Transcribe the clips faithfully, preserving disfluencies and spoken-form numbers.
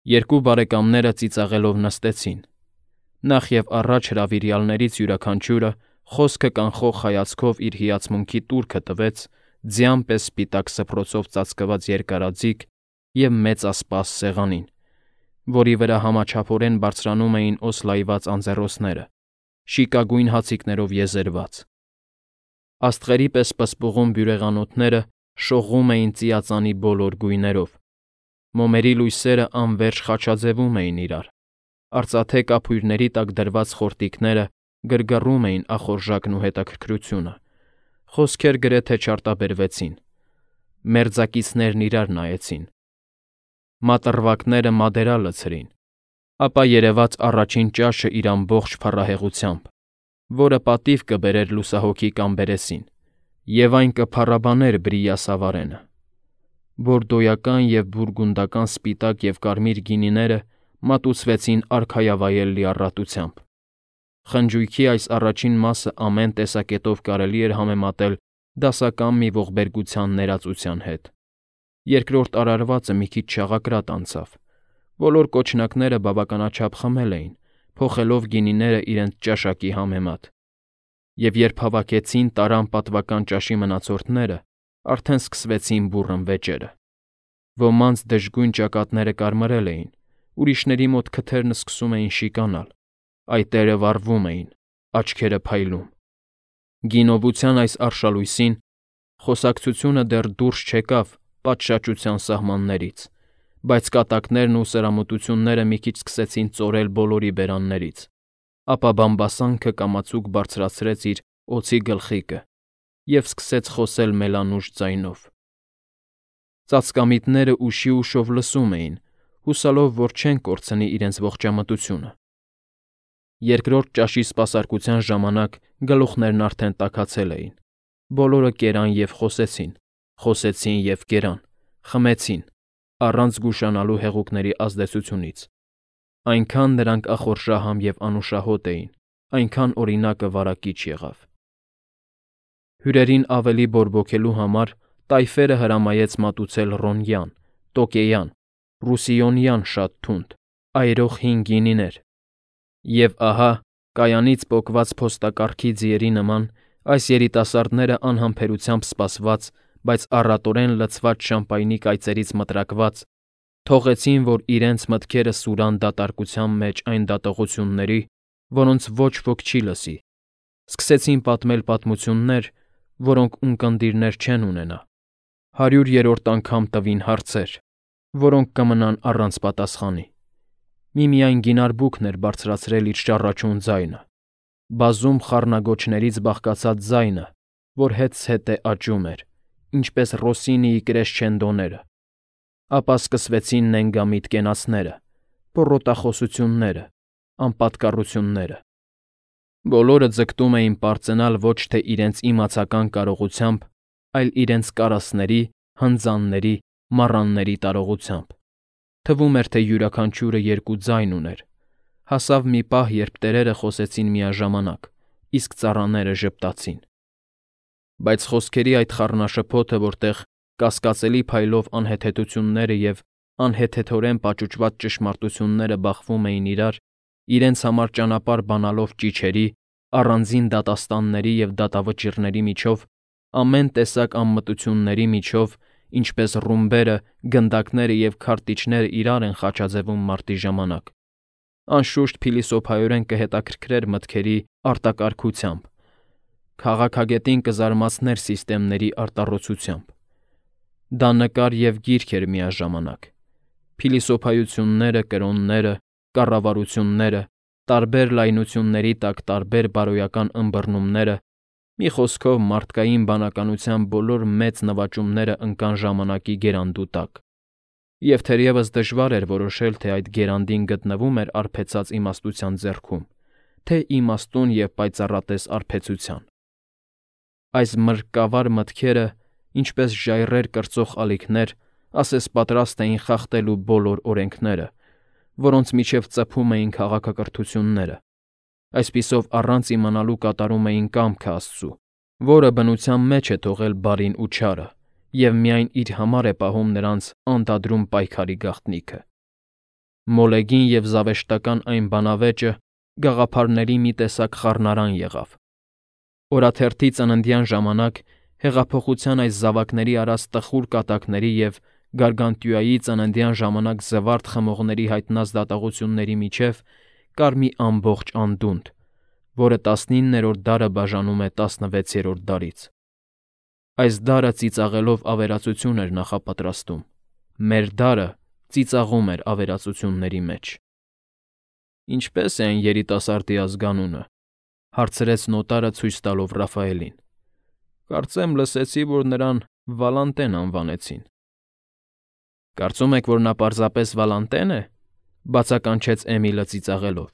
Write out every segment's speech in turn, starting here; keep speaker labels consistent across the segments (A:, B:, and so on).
A: Երկու բարեկամները ծիծաղելով նստեցին։ Նախ և առաջ հրավիրյալներից յուրաքանչյուրը խոսքը կանխող հայացքով իր հիացմունքի տուրքը տվեց ձյան պես սպիտակ սփռոցով ծածկված երկարաձիգ և մեծասպաս սեղանին, որի վրա համաչափորեն բարձրանում էին օսլայված անձեռոցները, շիկագույն հացիկներով եզերված։ Աստղերի պես պսպղուն բյուրեղանոթները շողում էին ծիածանի բոլոր գույներով, մոմերի լույսերը անվերջ խաչաձևում էին իրար, արծաթե կափույրների տակ դրված խորտիկները գրգռում էին ախորժակն ու հետաքրքրությունը, խոսքեր գրեթե չարտաբերվեցին, մերձակիցներն իրար նայեցին, մատռվակները մադերա լցրին, ապա երևաց առաջին ճաշը իր ամբողջ փառահեղությամբ, որը պատիվ կբերեր լուսահոգի Կամբերեսին, և այն կփառաբաներ Բրիյասավարենը։ Բորդոյական և բուրգունդական սպիտակ և կարմիր գինիները մատուցվեցին արքայավայել լիառատությամբ։ Խնջույքի այս առաջին մասը ամեն տեսակետով կարելի էր համեմատել դասական մի ողբերգության ներածության հետ։ Երկրորդ արարվածը մի քիչ չաղակրատ անցավ։ Բոլոր կոճնակները բավականաչափ խմել էին, փոխելով գինիները իրենց ճաշակի համեմատ։ Եվ երբ հավաքեցին տարան պատվական ճաշի մնացորդները, արդեն սկսվեցին բուռն վեճերը։ Ոմանց դժգույն ճակատները կարմրել էին, ուրիշների մոտ քթերն սկսում էին շիկանալ, այտերը վառվում էին, աչքերը փայլում։ Գինովության այս արշալույսին խոսակցությունը դեռ դուրս չեկավ պատշաճության սահմաններից, բայց կատակներն ու սրամուտությունները մի քիչ սկսեցին ծորել բոլորի բերաններից, ապա բամբասանքը կամացուկ բարձրացրեց իր օձի գլխիկը և սկսեց խոսել մելանուշ ձայնով։ Ծածկամիտները ուշի֊ուշով լսում էին, հուսալով, որ չեն կորցնի իրենց ողջամտությունը։ Երկրորդ ճաշի սպասարկության ժամանակ գլուխներն արդեն տաքացել էին։ Բոլորը կերան և խոսեցին, խոսեցին և կերան, խմեցին, առանց զգուշանալու հեղուկների ազդեցությունից։ Այնքան նրանք ախորժահամ և անուշահոտ էին, այնքան օրինակը վարակիչ եղավ։ Հյուրերին ավելի բորբոքելու համար տայֆերը հրամայեց մատուցել ռոնյան, տոկեյան, ռուսիոնյան շատ թունդ, այրող հին գինիներ։ Եվ ահա, կայանից պոկված փոստակառքի ձիերի նման, այս երիտասարդները անհամբերությամբ սպասված, բայց առատորեն լցված շամպայնի կայծերից մտրակված, թողեցին, որ իրենց մտքերը սուրան դատարկության մեջ այն դատողությունների, որոնց ոչ ոք չի լսի, սկսեցին պատմել պատմություններ, որոնք ունկնդիրներ չեն ունենա, հարյուրերորդ անգամ տվին հարցեր, որոնք կմնան առանց պատասխանի։ Միմիայն գինարբուքն էր բարձրացրել իր շառաչուն ձայնը, բազում խառնագոչներից բաղկացած ձայնը, որ հետզհետե աճում էր, ինչպես Ռոսինիի կրեսչենդոները։ Ապա սկսվեցին նենգամիտ կենացները, պոռոտախոսությունները, անպատկառությունները։ Բոլորը ձգտում էին պարծենալ ոչ թե իրենց իմացական կարողությամբ, այլ իրենց կարասների, հնձանների, մառանների տարողությամբ։ Թվում էր, թե յուրաքանչյուրը երկու ձայն ուներ։ Հասավ մի պահ, երբ տերերը խոսեցին միաժամանակ, իսկ ծառաները ժպտացին։ Բայց խոսքերի այդ խառնաշփոթը, որտեղ կասկածելի փայլով անհեթեթությունները և անհեթեթորեն պաճուճված ճշմարտությունները բախվում էին իրար, իրենց համար ճանապարհ բանալով ճիչերի, առանձին դատաստանների և դատավճիռների միջով, ամեն տեսակ անմտությունների միջով, ինչպես ռումբերը, գնդակները և քարտիչները իրար են խաչաձևում մարտի ժամանակ, անշուշտ փիլիսոփայորեն կհետաքրքրեր մտքերի արտակարգությամբ, քաղաքագետին կզարմացներ սիստեմների արտառոցությամբ։ Դա նկար և գիրք էր միաժամանակ։ Փիլիսոփայությունները, կրոնները, կառավարությունները, տարբեր լայնությունների տակ տարբեր բարոյական ըմբռնումները, մի խոսքով մարդկային բանականության բոլոր մեծ նվաճումները ընկան ժամանակի գերանդու տակ, և թերևս դժվար էր որոշել, թե այդ գերանդին գտնվում էր արբեցած իմաստության ձեռքում, թե իմաստուն և պայծառատես արբեցության։ Այս մրրկավար մտքերը, ինչպես ժայռեր կրծող ալիքներ, ասես պատրաստ էին խախտելու բոլոր օրենքները, որոնց միջև ծփում էին քաղաքակրթությունները, այսպիսով առանց իմանալու կատարում էին կամքը Աստծու, որը բնության մեջ է թողել բարին ու չարը և միայն իր համար է պահում նրանց անդադրում պայքարի գաղտնիքը։ Մոլեգին և զավեշտական այն բանավեճը գաղափարների մի տեսակ խառնարան եղավ։ Օրաթերթի ծննդյան ժամանակ հեղափոխության այս զավակների արած տխուր կատակների և Գարգանտյուայի ծննդյան ժամանակ զվարթ խմողների հայտնած դատողությունների միջև կար մի ամբողջ անդունդ, որը տասնիններորդ դարը բաժանում է տասնվեցերորդ դարից։ Այս դարը ծիծաղելով ավերածություն էր նախապատրաստում, մեր դարը ծիծաղում էր ավերածությունների մեջ։ Ինչպե՞ս է այն երիտասարդի ազգանունը,֊ հարցրեց նոտարը ցույց տալով Ռաֆայելին։ Կարծեմ լսեցի, որ նրան Վալանտեն անվանեցին։ Կարծում եք, որ նա պարզապես Վալանտե՞ն է,֊ բացականչեց Էմիլը ծիծաղելով։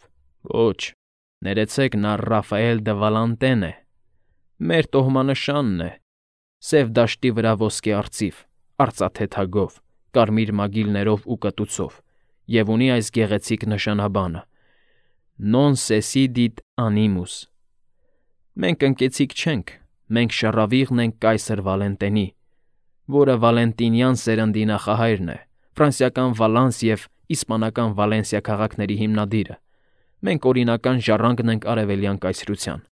A: Ոչ, ներեցեք, նա Ռաֆայել դը Վալանտեն է։ Մեր տոհմանշանն է, սև դաշտի վրա ոսկե արծիվ, արծաթե թագով, կարմիր մագիլներով ու կտուցով, և ունի այս գեղեցիկ նշանաբանը. Non sesidit animus։ Մենք ընկեցիկ չենք, մենք շառավիղն ենք կայսր Վալենտենի, որը վալենտինյան սերնդի նախահայրն է, ֆրանսիական Վալանս և իսպանական Վալենսիա քաղաքների հիմնադիրը։ Մենք օրինական ժառանգն ենք արևելյան կայսրության։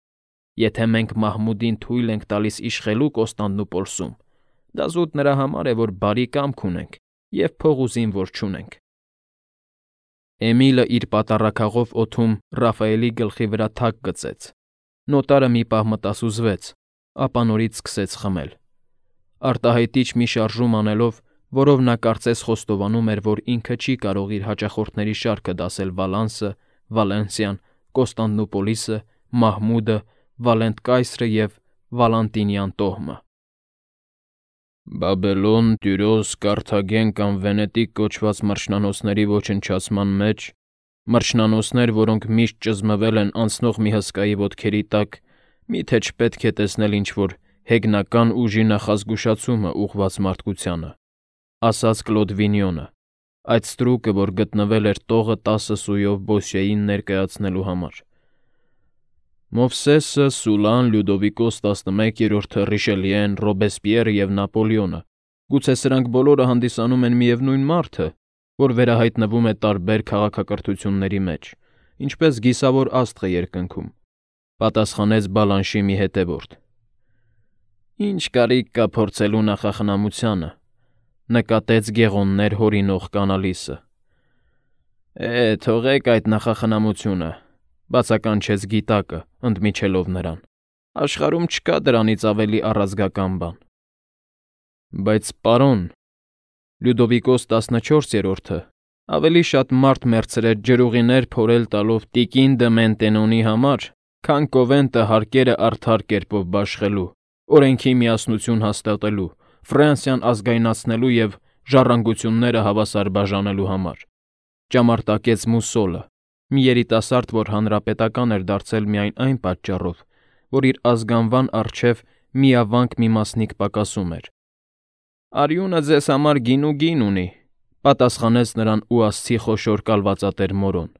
A: Եթե մենք Մահմուդին թույլ ենք տալիս իշխելու Կոստանդնուպոլսում, դա զուտ նրա համար է, որ բարի կամք ունենք և փող ու զինվոր չունենք։ Էմիլը իր պատառաքաղով օդում Ռաֆայելի գլխի վրա թակ գծեց։ Նոտարը մի պահ մտասուզվեց, ապա նորից սկսեց խմել։ Արտահայտիչ մի շարժում անելով, որով նա կարծես խոստովանում էր, որ ինքը չի կարող իր հաճախորդների շարքը դասել Վալանսը, Վալենսիան, Կոստանդնուպոլիսը, Մահմուդը, Վալենտ կայսրը և Վալանտինյան տոհմը։ Բաբելոն, Տյուրոս, Կարթագեն կամ Վենետիկ կոչված մրջնանոցների ոչնչացման մեջ, մրջնանոցներ, որոնք միշտ ճզմվել են անցնող մի հսկայի ոտքերի տակ, մի՞թե չպետք է տեսնել ինչ-որ հեգնական ուժի նախազգուշացումը ուղղված մարդկությանը,֊ ասաց Կլոդ Վինյոնը, այդ ստրուկը, որ գտնվել էր տողը տասը սույով Բոսյեին ներկայացնելու համար։ Մովսեսը, Սուլան, Լյուդովիկոս տասնմեկերորդը, Ռիշելիեն, Ռոբեսպիերը և Նապոլեոնը, գուցե սրանք բոլորը հանդիսանում են միևնույն մարդը, որ վերահայտնվում է տարբեր քաղաքակրթությունների մեջ, ինչպես գիսավոր աստղը երկնքում,֊ պատասխանեց Բալանշի մի հետևորդ։ Ինչ կարիք կա փորձելու նախախնամությանը,֊ նկատեց գեղոններ հորինող կանալիսը։ Է, թողեք այդ նախախնամությունը,֊ բացականչեց գիտակը, ընդմիջելով նրան։ Աշխարհում չկա դրանից ավելի առազգական բան։ Բայց, պարոն, Լյուդովիկոս տասնչորսերորդը ավելի շատ մարդ մեռցրեց ջրուղիներ փորել տալով տիկին դը Մենտենոնի համար, քան Կովենտը հարկերը արդար կերպով բաշխելու, օրենքի միասնություն հաստատելու, Ֆրանսիան ազգայնացնելու և ժառանգությունները հավասար բաժանելու համար,֊ ճամարտակեց Մուսոլը, մի երիտասարդ, որ հանրապետական էր դարձել միայն այն պատճառով, որ իր ազգանվան առջև միավանք մի մասնիկ պակասում էր։ Արյունը ձեզ համար գին ու գին ունի,֊ պատասխանեց նրան ուասցի խոշոր կալվածատեր Մորոն։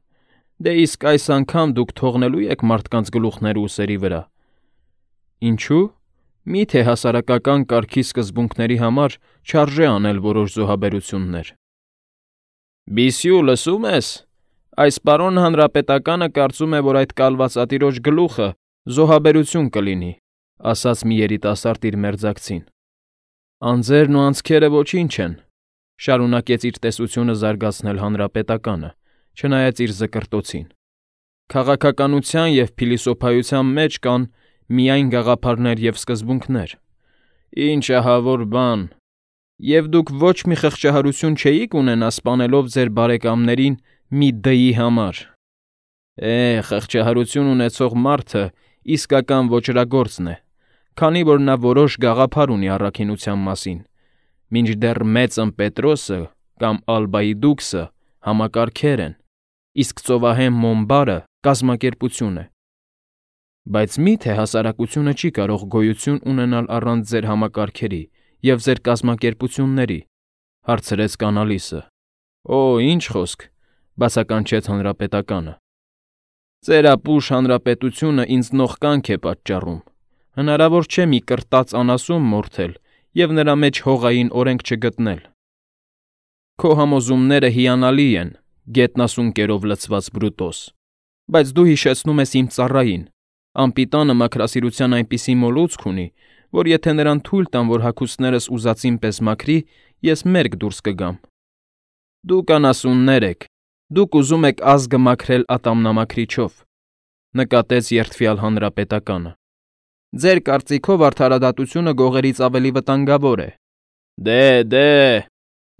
A: Դե իսկ այս անգամ դուք թողնելու եք մարդկանց գլուխները ուսերի վրա։ Ինչու՞։ Մի՞թե հասարակական կարգի սկզբունքների համար չարժե անել որոշ զոհաբերություններ։ Բիսյու, լսում ես։ Այս պարոն հանրապետականը կարծում է, որ այդ կալվածատիրոջ գլուխը զոհաբերություն կլինի,֊ ասաց մի երիտասարդ իր մերձակցին։ Անձերն ու անցքերը ոչինչ են,֊ շարունակեց իր տեսությունը զարգացնել հանրապետականը, չնայած իր զկրտոցին։ Քաղաքականության և փիլիսոփայության մեջ կան միայն գաղափարներ և սկզբունքներ։ Ինչ ահավոր բան։ Եվ դուք ոչ մի խղճահարություն չէիք ունենա սպանելով ձեր բարեկամներին մի դի համար։ Է, խղճահարություն ունեցող մարդը իսկական ոճրագործն է, քանի որ նա որոշ գաղափար ունի առաքինության մասին, մինչդեռ Մեծն Պետրոսը կամ Ալբայի դուքսը համակարգեր են, իսկ ծովահեն Մոնբարը կազմակերպություն է։ Բայց մի՞թե հասարակությունը չի կարող գոյություն ունենալ առանց ձեր համակարգերի և ձեր կազմակերպությունների,֊ հարցրեց կանալիսը։ Օ, ինչ խոսք,֊ բացականչեց հանրապետականը։ Ձեր ապուշ հանրապետությունը ինձ նողկանք է պատճառում։ Հնարավոր չէ մի կրտած անասուն մորթել և նրա մեջ հողային օրենք չգտնել։ Քո համոզումները հիանալի են, գետնասուն կերով լցված Բրուտոս, բայց դու հիշեցնում ես իմ ծառային, անպիտանը մաքրասիրության այնպիսի մոլուցք ունի, որ եթե նրան թույլ տամ, որ հագուստներս ուզածին պես մաքրի, ես մերկ դուրս կգամ։ Դուք անասուններ եք, դուք ուզում եք ազգը մաքրել ատամնամաքրիչով, նկատեց երդվյալ հանրապետականը։ Ձեր կարծիքով արդարադատությունը գողերից ավելի վտանգավոր է։ Դե, դե,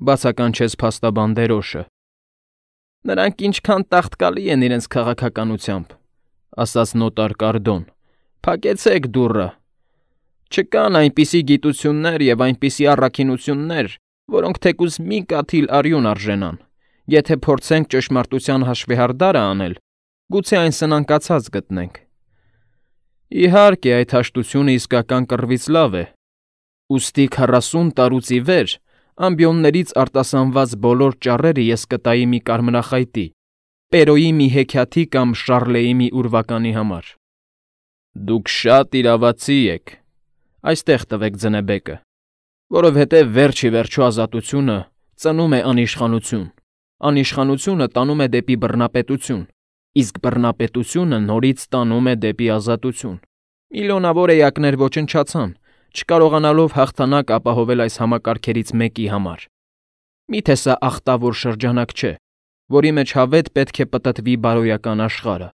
A: բացականչեց փաստաբան Դերոշը։ Նրանք ինչքան տաղտկալի են իրենց քաղաքականությամբ, ասաց նոտար Կարդոն։ Փակեցեք դուռը։ Չկան այնպիսի գիտություններ եւ այնպիսի առաքինություններ, որոնք թեկուզ մի կաթիլ արյուն արժենան։ Եթե փորձենք ճշմարտության հաշվեհարդարը անել, գուցե այն սնանկացած գտնենք։ Իհարկե, այդ հաշտությունը իսկական կռվից լավ է։ Ուստի քառասուն տարուց ի վեր ամբիոններից արտասանված բոլոր ճառերը ես կտայի մի կարմրախայտի, Պերոյի մի հեքիաթի կամ Շարլեի մի ուրվականի համար։ Դուք շատ իրավացի եք, այստեղ տվեք ձնեբեկը, որովհետև վերջի վերջո ազատությունը ծնում է անիշխանություն, անիշխանությունը տանում է դեպի բռնապետություն, իսկ բռնապետությունը նորից տանում է դեպի ազատություն։ Միլիոնավոր էակներ ոչնչացան, չկարողանալով հաղթանակ ապահովել այս համակարգերից մեկի համար։ Միթե սա ախտավոր շրջանակ չէ, որի մեջ հավետ պետք է պտտվի բարոյական աշխարհը։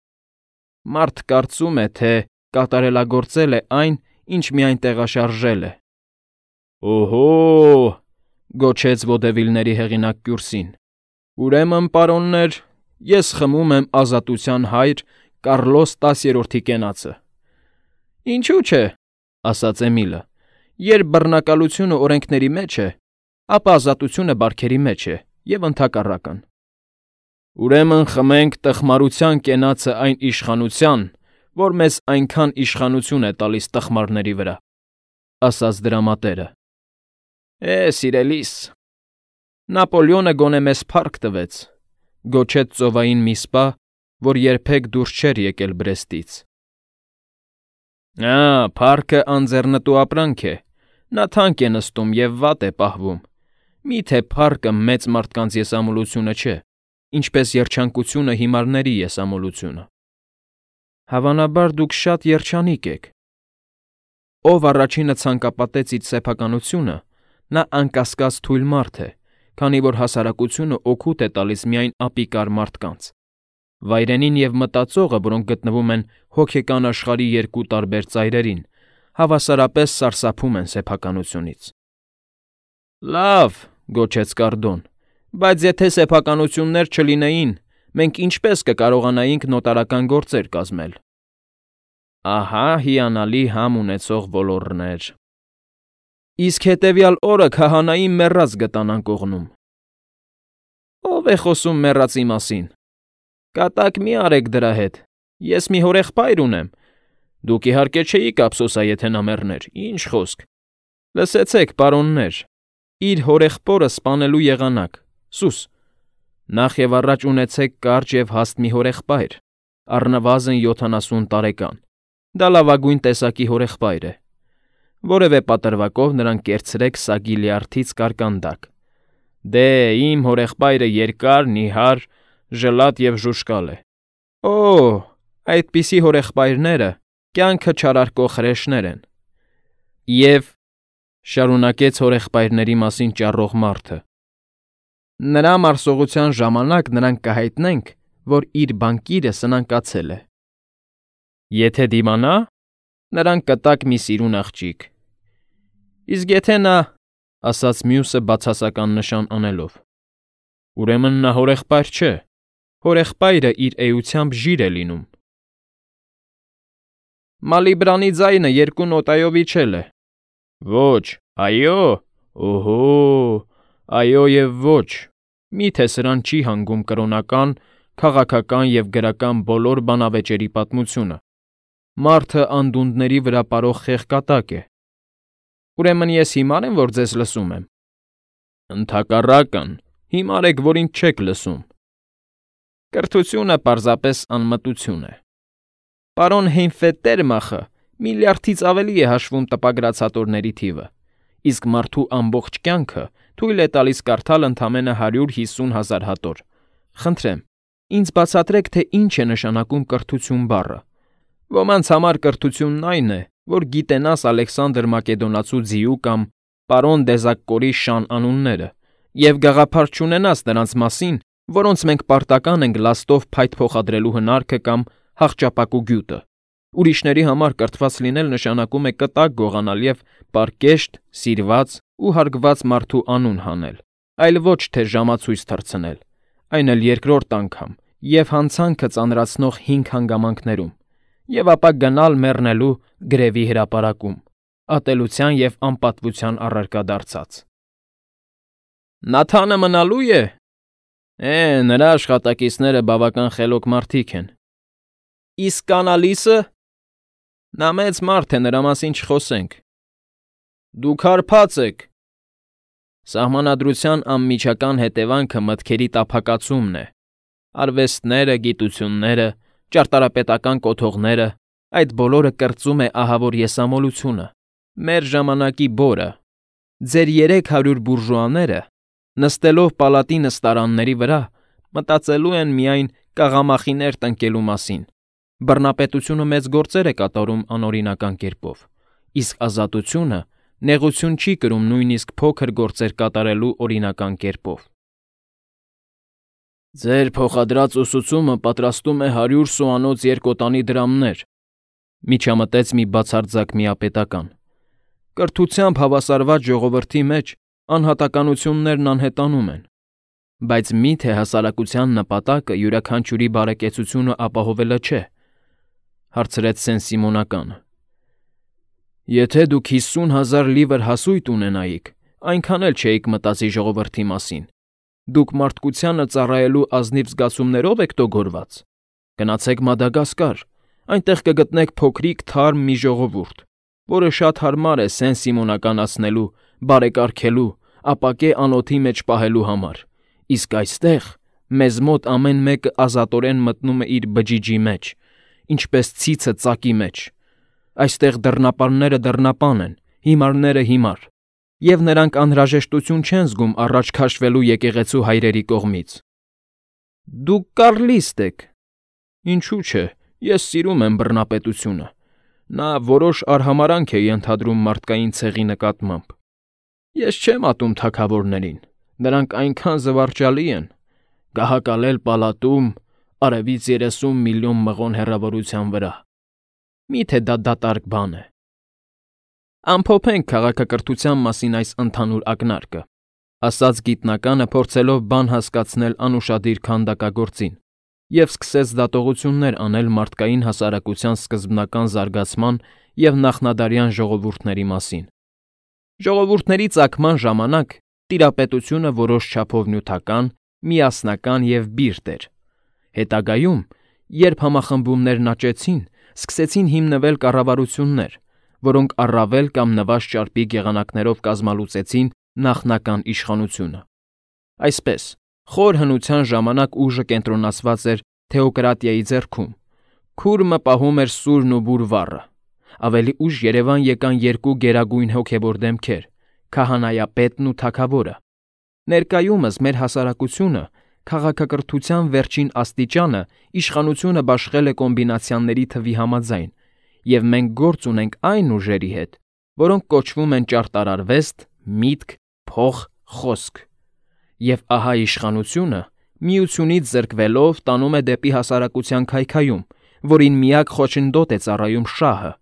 A: Մարդ կարծում է, թե կատարելագործել է այն, ինչ միայն տեղաշարժել է։ Օհո՜, գոչեց ոդևիլների հեղինակ Կյուրսին։ Ուրեմն, պարոններ, ես խմում եմ ազատության հայր Կառլոս տասերորդի կենացը։ Ինչու՞ չէ, ասաց Էմիլը։ Երբ բռնակալությունը օրենքների մեջ է, ապա ազատությունը բարքերի մեջ է եւ ընդհակառակն։ Ուրեմն խմենք տխմարության կենացը այն իշխանության, որ մեզ այնքան իշխանություն է տալիս տխմարների վրա, ասաց դրամատերը։ Է, սիրելիս, Նապոլեոնը գոնե մեզ փառք տվեց, գոչեց ծովային մի սպա, որ երբեք դուրս չէր եկել Բրեստից։ Ա, փառքը անձեռնտու ապրանք է, նա թանկ է նստում եւ վատ է պահվում։ Միթե փառքը մեծ մարդկանց եսամոլությունը չէ, ինչպես երջանկությունը հիմարների եսամոլությունը։ Հավանաբար դուք շատ երջանիկ եք։ Ով առաջինը ցանկապատեց իր սեփականությունը, նա անկասկած թույլ մարդ է, քանի որ հասարակությունը օգուտ է տալիս միայն ապիկար մարդկանց։ Վայրենին եւ մտածողը, որոնք գտնվում են հոգեկան աշխարհի երկու տարբեր ծայրերին, հավասարապես սարսափում են սեփականությունից։ Լավ, գոչեց Կարդոն, բայց եթե սեփականություններ չլինեին, մենք ինչպես կկարողանայինք նոտարական գործեր կազմել։ Ահա հիանալի համ ունեցող ոլորներ։ Իսկ հետևյալ օրը քահանայի մեռած գտանան կողնում։ Ո՞վ է խոսում մեռածի մասին։ Կատակ մի արեք դրա հետ։ Ես մի հորեղբայր ունեմ։ Դուք իհարկե չէիք ափսոսա, եթե նա մեռներ։ Ինչ խոսք։ Լսեցեք, պարոններ, իր հորեղբորը սպանելու եղանակ։ Սուս, նախ եւ առաջ ունեցեք կարճ եւ հաստ մի հորեղբայր, առնվազն յոթանասուն տարեկան։ Դա լավագույն տեսակի հորեղբայր է։ Որևէ պատրվակով նրան կերցրեք սագի լյարդից կարկանդակ։ Դե, իմ հորեղբայրը երկար, նիհար, ժլատ եւ ժուշկալ է։ Օ, այդպիսի հորեղբայրները կյանքը չարարկող հրեշներ են։ Եվ շարունակեց հորեղբայրների մասին ճառող մարդը։ Նրա մարսողության ժամանակ նրանք կհայտնենք, որ իր բանկիրը սնանկացել է։ Եթե դիմանա, նրանք կտակ մի սիրուն աղջիկ։ Իսկ եթե նա, ասաց մյուսը բացասական նշան անելով, ուրեմն նա հորեղբայր չէ, հորեղբայրը իր էությամբ ժիր է լինում։ Մալիբրանի ձայնը երկու նոտայով իջել է։ Ոչ, այո, օհո, այո եւ ոչ, միթե սրան չի հանգում կրոնական, քաղաքական եւ գրական բոլոր բանավեճերի պատմությունը։ Մարդը անդունդների վրա ապարող խեղկատակ է։ Ուրեմն ես հիմար եմ, որ ձեզ լսում եմ։ Ընդհակառակն, հիմար եք, որ ինձ չեք լսում։ Կրթությունը պարզապես անմտություն է։ Պարոն Հեյնֆետտերմախը միլիարդից ավելի է հաշվում տպագրած հատորների թիվը, իսկ մարդու ամբողջ կյանքը թույլ է տալիս կարդալ ընդամենը հարյուր հիսուն հազար հատոր, Խնդրեմ, ինձ բացատրեք, թե ինչ է նշանակում կրթություն բառը։ Ոմանց համար կրթությունն այն է, որ գիտենաս Ալեքսանդր Մակեդոնացու ձիու կամ պարոն Դեզակկորի շան անունները, և գաղափար չունենաս նրանց մասին, որոնց մենք պարտական ենք լաստով փայտ փոխադրելու հնարքը կամ հախճապակու գյուտը։ Ուրիշների համար կրթված լինել նշանակում է կտակ գողանալ և պարկեշտ, սիրված ու հարգված մարդու անուն հանել, այլ ոչ թե ժամացույց թռցնել, այն էլ երկրորդ անգամ և հանցանքը ծանրացնող հինգ հանգամանքներում, և ապա գնալ մեռնելու գրևի հրապարակում, ատելության և անպատվության առարկա դարձած։ Նաթանը մնալո՞ւ է։ Է, նրա աշխատակիցները բավական խելոք մարդիկ են։ Իսկ կանալիսը։ Նա մեծ մարդ է, նրա մասին չխոսենք։ Դուք հարբած եք։ Սահմանադրության անմիջական հետևանքը մտքերի տափակացումն է։ Արվեստները, գիտությունները, ճարտարապետական կոթողները, այդ բոլորը կրծում է ահավոր եսամոլությունը, մեր ժամանակի բորը։ Ձեր երեք հարյուր բուրժուաները, նստելով պալատի նստարանների վրա, մտածելու են միայն կաղամախիներ տնկելու մասին։ Բռնապետությունը մեծ գործեր է կատարում անօրինական կերպով, իսկ ազատությունը նեղություն չի կրում նույնիսկ փոքր գործեր կատարելու օրինական կերպով։ Ձեր փոխադրած ուսուցումը պատրաստում է հարյուր սուանոց երկոտանի դրամներ, միջամտեց մի բացարձակ միապետական։ Կրթությամբ հավասարված ժողովրդի մեջ անհատականություններն անհետանում են, բայց մի՞թե հասարակության նպատակը յուրաքանչյուրի բարեկեցությունը ապահովելը չէ, հարցրեց Սեն֊Սիմոնականը։ Եթե դուք հիսուն հազար լիվր հասույթ ունենայիք, այնքան էլ չէիք մտածի ժողովրդի մասին։ Դուք մարդկությանը ծառայելու ազնիվ զգացումներով եք տոգորված։ Գնացեք Մադագասկար, այնտեղ կգտնեք փոքրիկ թարմ մի ժողովուրդ, որը շատ հարմար է Սեն֊Սիմոնականացնելու, բարեկարգելու, ապակե անոթի մեջ պահելու համար, իսկ այստեղ մեզ մոտ ամեն մեկը ազատորեն մտնում է իր բջիջի մեջ, ինչպես ցիցը ծակի մեջ։ Այստեղ դռնապանները դռնապան են, հիմարները հիմար, և նրանք անհրաժեշտություն չեն զգում առաջ քաշվելու եկեղեցու հայրերի կողմից։ Դուք կառլիստ եք։ Ինչու՞ չէ, ես սիրում եմ բռնապետությունը։ Նա որոշ արհամարանք է ենթադրում մարդկային ցեղի նկատմամբ։ Ես չեմ ատում թագավորներին, նրանք այնքան զվարճալի են, գահակալել պալատում, արևից երեսուն միլիոն մղոն հեռավորության վրա։ Մի՞թե դա դատարկ բան է։ Ամփոփենք քաղաքակրթության մասին այս ընդհանուր ակնարկը, ասաց գիտնականը, փորձելով բան հասկացնել անուշադիր քանդակագործին, և սկսեց դատողություններ անել մարդկային հասարակության սկզբնական զարգացման և նախնադարյան ժողովուրդների մասին։ Ժողովուրդների ծագման ժամանակ տիրապետությունը որոշ չափով նյութական, միասնական և բիրտ էր։ Հետագայում, երբ համախմբումներն աճեցին, սկսեցին հիմնվել կառավարություններ, որոնք առավել կամ նվազ ճարպիկ եղանակներով կազմալուծեցին նախնական իշխանությունը։ Այսպես, խոր հնության ժամանակ ուժը կենտրոնացված էր թեոկրատիայի ձեռքում, քուրմը պահում էր սուրն ու բուր վառը։ Ավելի ուշ երևան եկան երկու գերագույն հոգևոր դեմքեր՝ քահանայապետն ու թագավորը։ Ներկայումս մեր հասարակությունը քաղաքակրթության վերջին աստիճանը իշխանությունը բաշխել է կոմբինացիաների թվի համաձայն, և մենք գործ ունենք այն ուժերի հետ, որոնք կոչվում են ճարտարարվեստ, միտք, փող, խոսք։ Եվ ահա իշխանությունը, միությունից զրկվելով, տանում է դեպի հասարակության քայքայում, որին միակ խոչընդոտ է ծառայում շահը։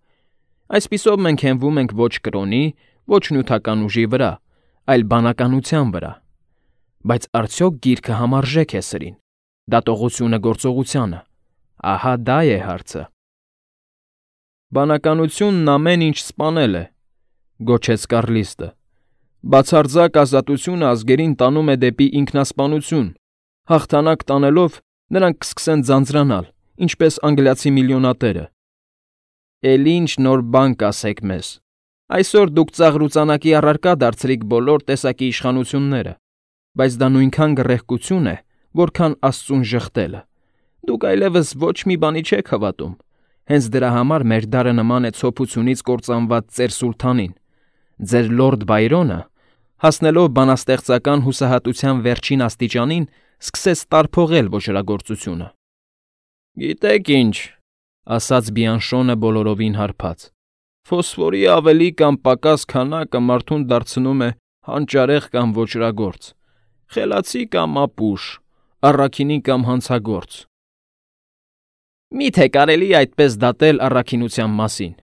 A: Այսպիսով մենք հենվում ենք ոչ կրոնի, ոչ նյութական ուժի վրա, այլ բանականության վրա։ Բայց արդյոք գիրքը համարժեք է սրին, դատողությունը գործողությանը։ Ահա դա է հարցը։ Բանականությունն ամեն ինչ սպանել է, գոչեց Կառլիստը։ Բացարձակ ազատությունը ազգերին տանում է դեպի ինքնասպանություն։ Հաղթանակ տանելով նրանք կսկսեն ձանձրանալ, ինչպես անգլիացի միլիոնատերը։ Էլ ինչ նոր բան կասեք մեզ։ Այսօր դուք ծաղրուծանակի առարկա դարձրիք բոլոր տեսակի իշխանությունները, բայց դա նույնքան գռեհկություն է, որքան Աստծուն ժխտելը։ Դուք այլևս ոչ մի բանի չեք հավատում։ Հենց դրա համար մեր դարը նման է ցոփությունից կործանված ծեր սուլթանին։ Ձեր լորդ Բայրոնը, հասնելով բանաստեղծական հուսահատության վերջին աստիճանին, սկսեց տարփողել ոճրագործությունը։ «Գիտեք ինչ,֊ ասաց Բիանշոնը բոլորովին հարբած,֊ ֆոսֆորի ավելի կամ պակաս քանակը մարդուն դարձնում է հանճարեղ կամ ոճրագործ, խելացի կամ ապուշ, առաքինի կամ հանցագործ»։ «Մի՞թե կարելի է այդպես դատել առաքինության մասին,֊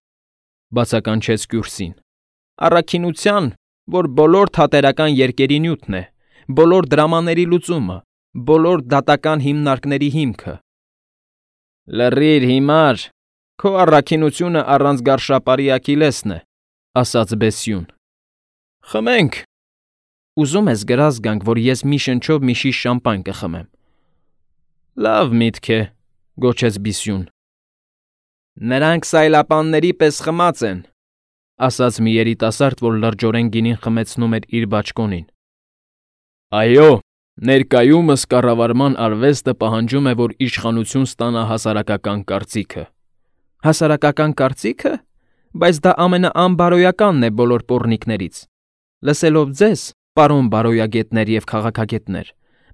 A: բացականչեց Կյուրսին,֊ առաքինության, որ բոլոր թատերական երկերի նյութն է, բոլոր դրամաների լուծումը, բոլոր դատական հիմնարկների հիմքը»։ «Լռիր, հիմար, քո առաքինությունը առանց գարշապարի Աքիլեսն է,֊ ասաց Բեսյուն։ «Խմենք»։ «Ուզում ես գրազ գանք, որ ես մի շնչով մի շիշ շամպայն կխմեմ»։ «Լավ միտք է,֊ գոչեց Բիսյուն։ «Նրանք սայլապանների պես խմած են,֊ ասաց մի երիտասարդ, որ լրջորեն գինին խմեցնում էր իր բաճկոնին։ «Այո, ներկայումս կառավարման արվեստը պահանջում է, որ իշխանություն ստանա հասարակական կարծիքը»։ «Հասարակական կարծի՞քը, բայց դա ամենաանբարոյականն է բոլոր պոռնիկներից։ Լսելով ձեզ, պարոն բարոյագետներ և քաղաքագետներ,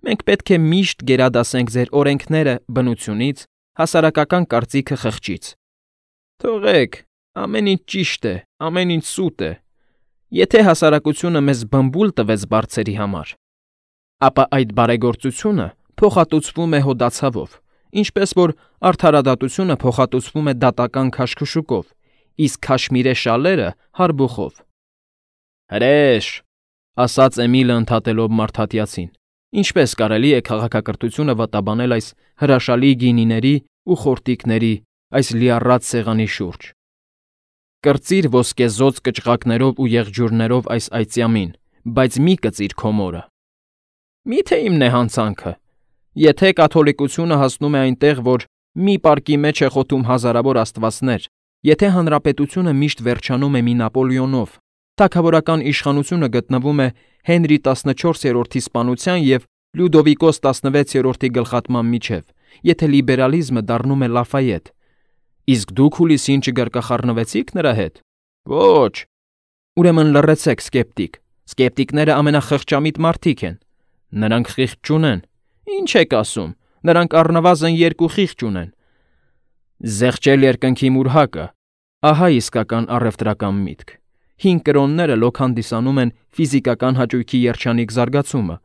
A: մենք պետք է միշտ գերադասենք ձեր օրենքները բնությունից, հասարակական կարծիքը խղճից։ Թողեք, ամեն ինչ ճիշտ է, ամեն ինչ սուտ է։ Եթե հասարակությունը մեզ բմբուլ տվեց բարձերի համար, ապա այդ բարեգործությունը փոխհատուցվում է հոդացավով, ինչպես որ արդարադատությունը փոխհատուցվում է դատական քաշքշուկով, իսկ քաշմիրե շալերը՝ հարբուխով»։ «Հրե՛շ,֊ ասաց Էմիլը ընդհատելով մարդատյացին,֊ ինչպես կարելի է քաղաքակրթությունը վատաբանել այս հրաշալի գինիների ու խորտիկների, այս լիառատ սեղանի շուրջ։ Կրծիր ոսկեզօծ կճղակներով ու եղջյուրներով այս այծյամին, բայց մի կծիր քո մորը։ Մի՞թե իմն է հանցանքը, եթե կաթոլիկությունը հասնում է այնտեղ, որ մի պարկի մեջ է խոթում հազարավոր աստվածներ, եթե հանրապետությունը միշտ վերջանում է մի Նապոլեոնով, թագավորական իշխանությունը գտնվում է Հենրի տասնչորսերորդի սպանության և Լյուդովիկոս տասնվեցերորդի գլխատման միջև, եթե լիբերալիզմը դառնում է Լաֆայետ, իսկ դուք հուլիսին չգարկախառնվեցիք նրա հետ։ Ոչ։ Ուրեմն լռեցեք, սկեպտիկ, սկեպտիկները ամենախղճամիտ մարդիկ են։ Նրանք խիղճ չունեն։ Ինչ եք ասում, նրանք առնվազն երկու խիղճ ունեն։ Զեղչել երկնքի մուրհակը, ահա իսկական առևտրական միտք։ Հինգ կրոնները լոկ հանդիսանում են ֆիզիկական հաճույքի երջանիկ զարգացումը,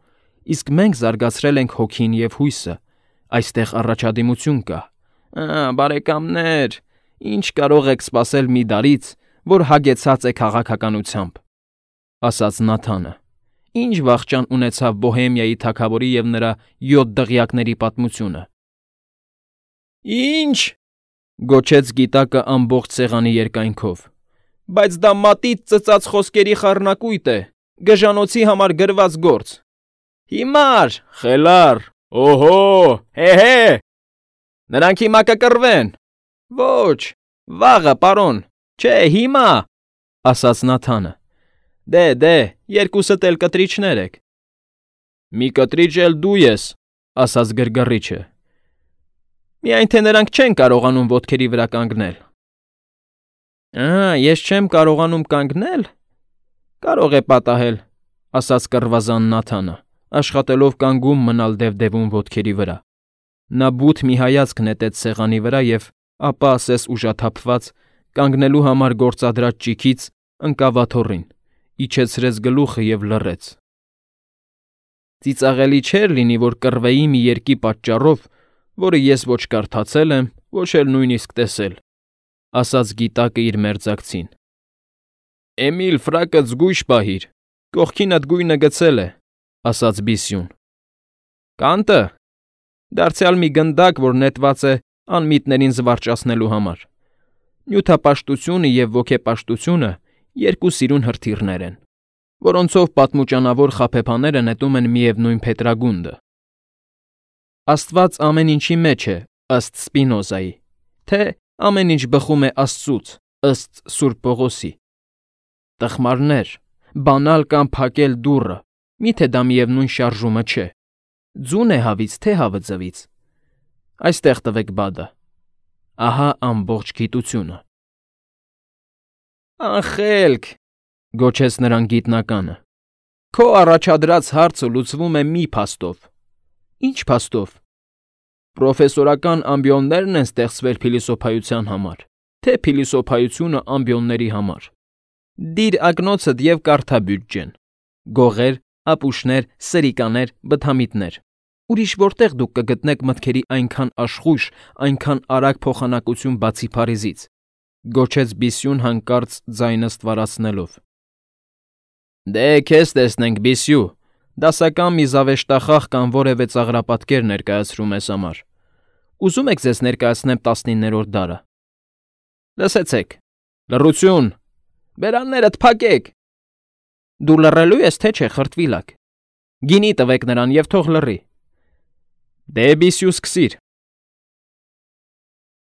A: իսկ մենք զարգացրել ենք հոգին և հույսը, այստեղ առաջադիմություն կա։ Ա, բարեկամներ, ինչ կարող եք սպասել մի դարից, որ հագեցած է քաղաքականությամբ,֊ ասաց Նաթանը։ Ինչ վախճան ունեցավ Բոհեմիայի թագավորի և նրա յոթ դղյակների պատմությունը։ Ինչ,֊ գոչեց գիտակը ամբողջ սեղանի երկայնքով,֊ բայց դա մատից ծծած խոսքերի խառնակույտ է, գժանոցի համար գրված գործ։ Հիմար, խելառ, օհո, հե՛հե… Նրանք հիմա կկռվեն։ Ոչ, վաղը, պարոն, չէ, հիմա,֊ ասաց Նաթանը։ Դե, դե, երկուսդ էլ կտրիչներ եք։ Մի կտրիչ էլ դու ես,֊ ասաց գրգռիչը։ Միայն թե նրանք չեն կարողանում ոտքերի վրա կանգնել։ Ա, ես չեմ կարողանում կանգնել։ Կարող է պատահել,֊ ասաց կռվազան Նաթանը, աշխատելով կանգուն մնալ դևդևուն ոտքերի վրա։ Նա բութ մի հայացք նետեց սեղանի վրա և ապա, ասես ուժաթափված, կանգնելու համար գործադրած ճիգից ընկավ աթոռին, իջեցրեց գլուխը և լռեց։ Ծիծաղելի չէր լինի, որ կռվեի մի երգի պատճառով, որը ես ոչ կարդացել եմ, ոչ էլ նույնիսկ տեսել,֊ ասաց գիտակը իր մերձակցին։ Էմիլ, ֆրակդ զգույշ պահիր, կողքինդ գույնը գցել է,֊ ասաց Բիսյուն։ Կանտը,֊ դարձյալ մի գնդակ, որ նետված է անմիտներին զվարճացնելու համար։ Նյութապաշտությունը և ոգեպաշտությունը երկու սիրուն հրթիռներ են, որոնցով պատմուճանավոր խաբեբաները նետում են միևնույն փետրագունդը։ Աստված ամեն ինչի մեջ է, ըստ Սպինոզայի, թե ամեն ինչ բխում է Աստծուց, ըստ Սուրբ Պողոսի։ Տխմարներ, բանալ կամ փակել դուռը, միթե դա միևնույն շարժումը չէ։ Ձուն է հավից, թե հավը ձվից։ Այստեղ տվեք բադը։ Ահա ամբողջ գիտությունը։ Անխելք,֊ գոչեց նրան գիտնականը, քո առաջադրած հարցը լուծվում է մի փաստով։ Ինչ փաստով։ Պրոֆեսորական ամբիոններն են ստեղծվել փիլիսոփայության համար, թե փիլիսոփայությունը ամբիոնների համար։ Դիր ակնոցդ և կարդա բյուջեն. գողեր, ապուշներ, սրիկաներ, բթամիտներ։ Ուրիշ որտեղ դուք կգտնեք մտքերի այնքան աշխույժ, այնքան արագ փոխանակություն բացի Փարիզից,֊ գոչեց Բիսյուն հանկարծ ձայնը ստվարացնելով։ Դե քեզ տեսնենք, Բիսյու, դասական մի զավեշտախաղ կամ որևէ ծաղրապատկեր ներկայացրու մեզ համար։ Ուզում եք ձեզ ներկայացնեմ տասնիններորդ դարը։ Լսեցեք. լռություն, բերաններդ փակեք։ Դու լռելու ես, թե չէ, խրտվիլակ։ Գինի տվեք նրան և թող լռի։ Դե, Բիսյու, սկսիր։